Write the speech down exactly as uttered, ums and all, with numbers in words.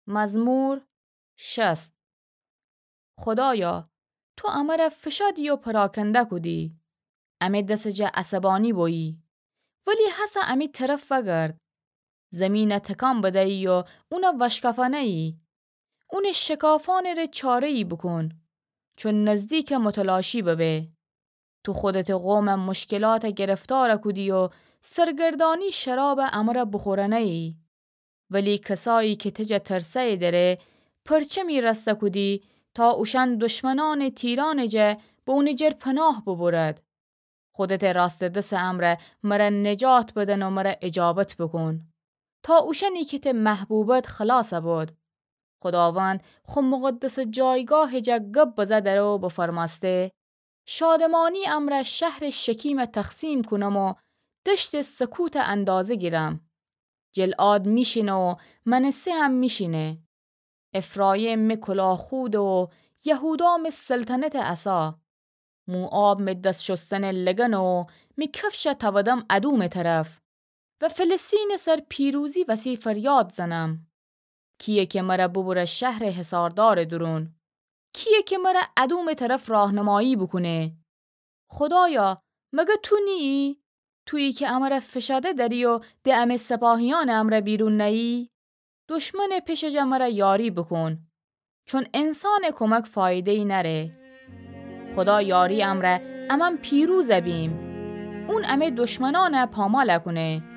مزمور شصت. خودایا، تو امر فشادی و پراکنده کودی. امه دس جا عصبانی بویی. ولی هسه امی طرف وگرد. زمین تکان بدهیی و اون وشکفانهیی. اون شکافانٚ ره چارهیی بوکون. چون نزدیک متلاشی ببه. تو خودتٚ قوم مشکلات گرفتار کودی و سرگردانی شراب امر بوخورنهیی. ولی کسایی که تجه ترسه دره، پرچمی راسته کودی تا اوشأن دشمنانٚ تیرانٚ جا به اونٚ جر پناه ببرد. خودتٚ راستٚ دسٚ امر مر نجات بدن و مر اجابت بوکون. تا اوشأنی که ته محبوبد خلاص بود. خوداوند خو مقدسٚ جایگاهٚ جا گب بزه دره و بفرمأسته: شادمانی امر شهرٚ شکیم تقسیم کونم و دشتٚ سکوت اندازه گیرم. جلعاد میشینه و منسه هم میشینه. افرایم می کلاخوده و یهودا می سلطنتٚ عصا. موآب می دس شستنٚ لگنه و می کفش تودم ادومٚ طرف. و فلسطینٚ سر پیروزی وسی فریاد زنم. کیه که مر ببره شهرٚ حصاردارٚ دورون؟ کیه که مر ادومٚ طرف راهنمایی بوکونه؟ خودایا، مگه تو نییی؟ تویی که امر فشاده دری و د امه سپاهیأنٚ امر بیرون نهیی؟ دشمنٚ پشٚ جا مر یاری بوکون. چون انسانٚ کمک فایدهیی نأره. خودا یاری امر امأن پیروز بیم. اون امه دشمنأن پامال کونه.